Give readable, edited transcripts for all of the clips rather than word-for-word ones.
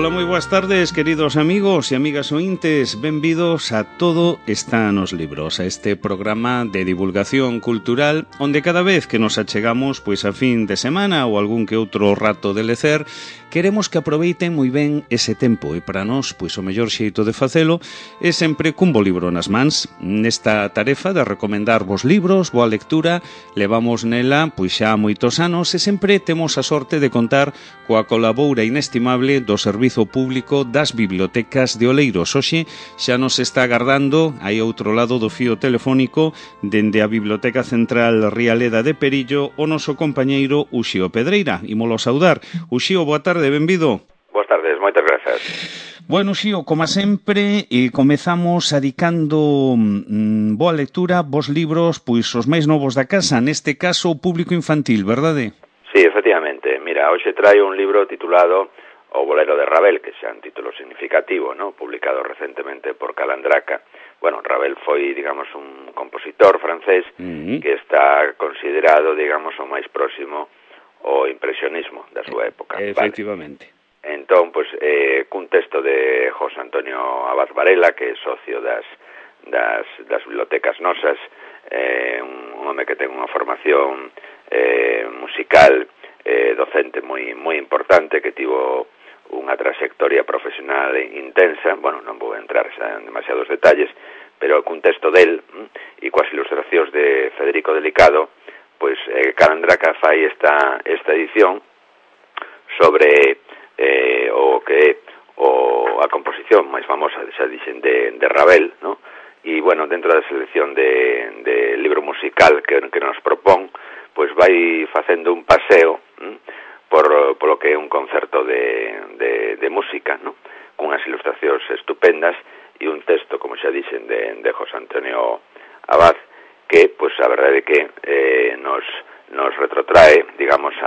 Ola, moi boas tardes, queridos amigos e amigas ointes. Benvidos a Todo está nos libros, a este programa de divulgación cultural onde cada vez que nos achegamos pois a fin de semana ou algún que outro rato de lecer, queremos que aproveiten moi ben ese tempo e para nós, pois o mellor xeito de facelo é sempre cun bo libro nas mans. Nesta tarefa de recomendar vos libros, boa lectura, levamos nela pois xa moitos anos e sempre temos a sorte de contar coa colaboura inestimable do Servizo Público das Bibliotecas de Oleiros. Hoxe xa nos está agardando aí outro lado do fío telefónico dende a Biblioteca Central Rialeda de Perillo o noso compañeiro Uxío Pedreira. Ímolo saudar. Uxío, boa tarde, benvido. Boas tardes, moitas grazas. Bueno, Uxío, como sempre, comezamos adicando boa lectura, vos libros, pois os máis novos da casa, neste caso o público infantil, verdade? Sí, efectivamente. Mira, hoxe traio un libro titulado O bolero de Ravel, que xa un título significativo, ¿no? Publicado recentemente por Calandraca. Bueno, Ravel foi, digamos, un compositor francés que está considerado, digamos, o máis próximo ao impresionismo da súa época. Efectivamente. Vale. Entón, pues, cun texto de José Antonio Abad Varela, que é socio das bibliotecas nosas, un home que ten unha formación musical, docente moi importante, que tivo unha trayectoria profesional intensa. Bueno, non vou entrar en demasiados detalles, pero cun texto del e coas ilustracións de Federico Delicado, pois Calandraca fai esta edición sobre o que é a composición máis famosa, xa dixen, de Ravel, ¿no? E, bueno, dentro da selección de libro musical que nos propón, pois vai facendo un paseo polo que é un concerto de música, ¿no? Cunhas ilustracións estupendas e un texto, como xa dixen, de José Antonio Abad, que, pois, a verdade é que nos retrotrae, digamos,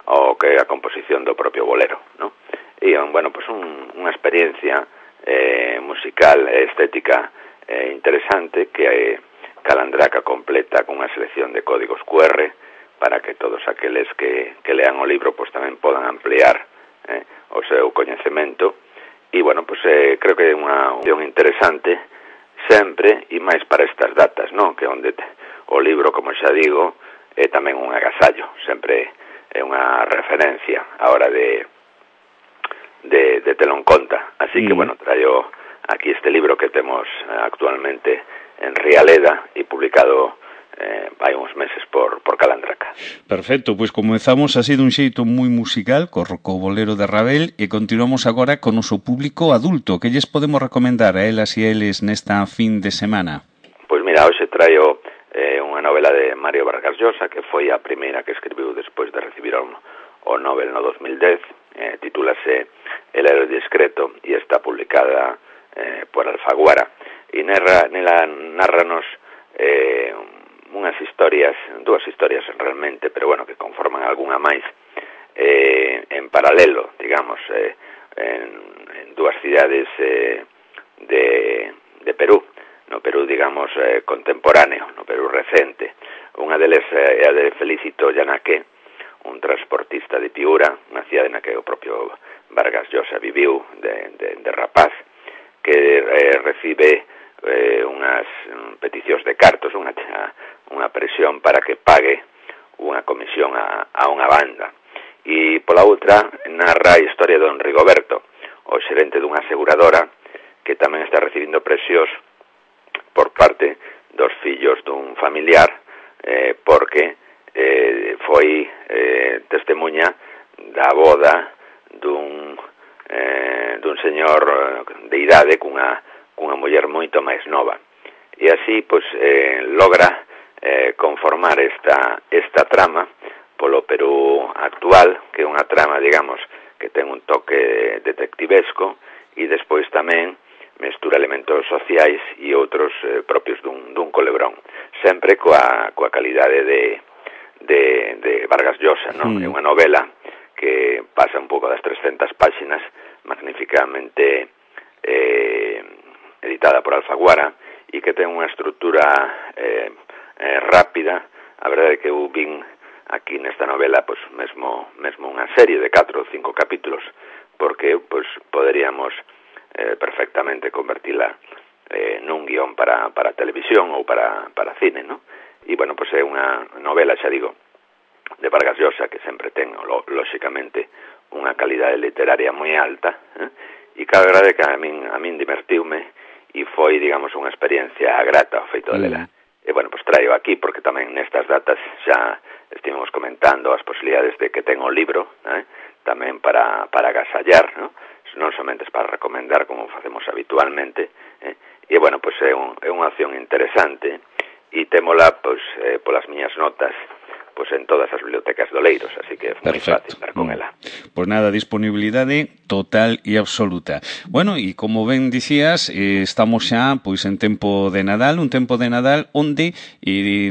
ao que é a composición do propio bolero, ¿no? E, bueno, pois unha experiencia musical e estética interesante que Calandraca completa con unha selección de códigos QR para que todos aqueles que lean o libro pues tamén podan ampliar o seu coñecemento. E, bueno, pues creo que é unha opción interesante sempre e máis para estas datas, non? Que onde o libro, como xa digo, é tamén un agasallo, sempre é unha referencia a hora de telo en conta. Así que, bueno, traio aquí este libro que temos actualmente en Rialeda e publicado hai uns meses por Calandraca. Perfecto, pois comezamos así dun xeito moi musical co bolero de Ravel e continuamos agora con o noso público adulto. Que lles podemos recomendar a elas e eles nesta fin de semana? Pois mira, hoxe traio unha novela de Mario Vargas Llosa, que foi a primeira que escribiu despois de recibir o Nobel no 2010. Titúlase El héroe discreto e está publicada por Alfaguara. E nela narranos dúas historias realmente, pero bueno, que conforman algunha máis en paralelo, digamos, en dúas cidades de Perú, no Perú, digamos, contemporáneo, no Perú recente. Unha deles é a de Felicito Llanaque, un transportista de Piura, unha cidade na que o propio Vargas Llosa viviu de rapaz, que recibe unhas peticións de cartos, unha presión para que pague unha comisión a unha banda. E pola outra narra a historia de don Rigoberto, o xerente dunha aseguradora, que tamén está recibindo presións por parte dos fillos dun familiar, porque foi testemunha da boda dun señor de idade cunha muller moito máis nova. E así, pois, logra conformar esta trama polo Perú actual, que é unha trama, digamos, que ten un toque detectivesco e despois tamén mestura elementos sociais e outros propios dun culebrón, sempre coa calidade de Vargas Llosa, non? É unha novela que pasa un pouco das 300 páxinas, magníficamente editada por Alfaguara, e que ten unha estrutura rápida. A verdade é que eu vin aquí nesta novela, pois mesmo unha serie de 4 ou 5 capítulos porque pues poderíamos perfectamente convertila nun guión para televisión ou para cine, ¿no? E, bueno, pues é unha novela, xa digo, de Vargas Llosa, que sempre ten, lóxicamente, unha calidade literaria moi alta, e que a verdade que a min divertiume e foi, digamos, unha experiencia grata o feito de lela. E, bueno, pues traio aquí, porque tamén nestas datas xa estivemos comentando as posibilidades de que ten o libro, tamén para agasallar, ¿no? Non somente para recomendar, como facemos habitualmente, e, bueno, pues é unha opción interesante, e témola, pues, polas miñas notas, pues en todas as bibliotecas de Oleiros, así que é moi fácil dar con ela. Pues nada, disponibilidade total e absoluta. Bueno, e como ben dicías, estamos xa pois en tempo de Nadal, un tempo de Nadal onde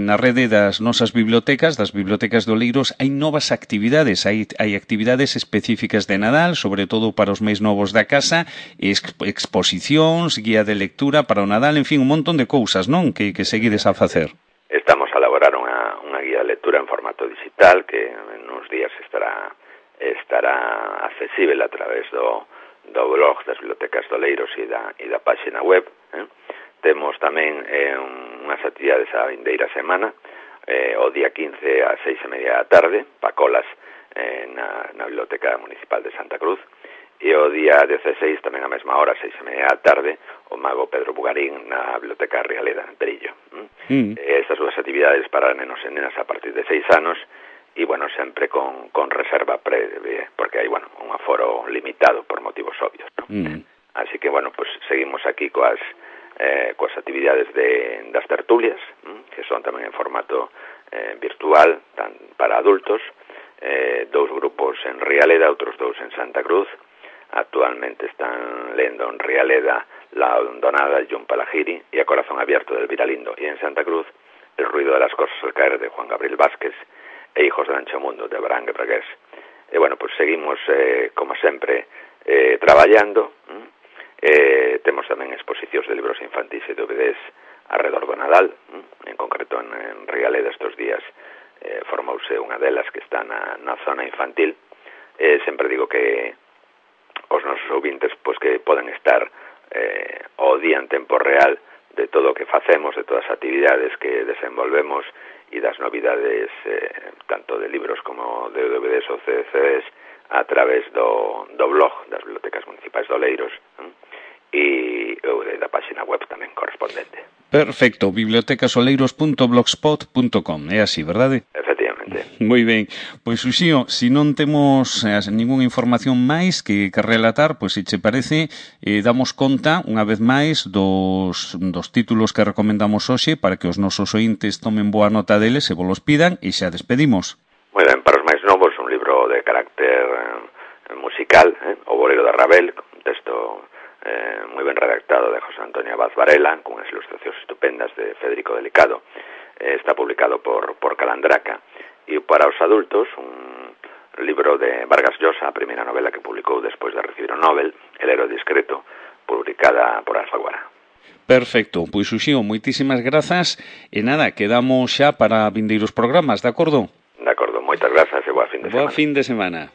na rede das nosas bibliotecas, das bibliotecas de Oleiros, hai novas actividades, hai actividades específicas de Nadal, sobre todo para os máis novos da casa, exposicións, guía de lectura para o Nadal, en fin, un montón de cousas, non? Que seguides a facer. Estamos a elaborar unha guía de lectura en formato digital que en uns días estará accesible a través do blog das bibliotecas de Oleiros e da página web. Temos tamén unhas actividades a vindeira semana, o día 15 a 6:30 da tarde, pacolas na Biblioteca Municipal de Santa Cruz, e o día 16, tamén a mesma hora, 6:30 da tarde, o mago Pedro Bugarín na Biblioteca Rialeda, en Perillo. Estas dúas actividades para nenos e nenas a partir de 6 anos, e, bueno, sempre con reserva previa, porque hai, bueno, un aforo limitado por motivos obvios, ¿no? Así que, bueno, pues seguimos aquí coas actividades das tertulias, que son tamén en formato virtual, para adultos, 2 grupos en Rialeda, outros 2 en Santa Cruz. Actualmente están lendo en Rialeda La Hondonada de John Palahiri y A Corazón Abierto de Elvira Lindo, y en Santa Cruz El ruido de las cosas al caer de Juan Gabriel Vázquez e Hijos del Ancho Mundo de Abraham Bregués. E, bueno, pues seguimos, como sempre, traballando. Temos tamén exposicións de libros infantis e DVDs alrededor do Nadal, en concreto en Rialeda estes días formouse unha delas que está na zona infantil. Sempre digo que os nosos ouvintes, pois, que poden estar ao día en tempo real de todo o que facemos, de todas as actividades que desenvolvemos e das novidades tanto de libros como de DVDs ou CDs a través do blog das bibliotecas municipais de Oleiros e da página web tamén correspondente. Perfecto, bibliotecasoleiros.blogspot.com, é así, verdade? Efectivamente. Moi ben. Pois, Uxío, se non temos ninguna información máis que relatar, pois, se che parece, damos conta, unha vez máis, dos títulos que recomendamos hoxe para que os nosos ointes tomen boa nota deles e volos pidan, e xa despedimos. Moi ben, para os máis novos, un libro de carácter musical, O bolero de Ravel, un texto moi ben redactado de José Antonio Abad Varela, con unhas ilustracións estupendas de Federico Delicado. Está publicado por Calandraca. E para os adultos, un libro de Vargas Llosa, a primeira novela que publicou despois de recibir o Nobel, El héroe discreto, publicada por Alfaguara. Perfecto, pois, Uxío, moitísimas grazas, e nada, quedamos xa para vindeiros programas, de acordo? De acordo, moitas grazas e boa fin de semana. Boa fin de semana.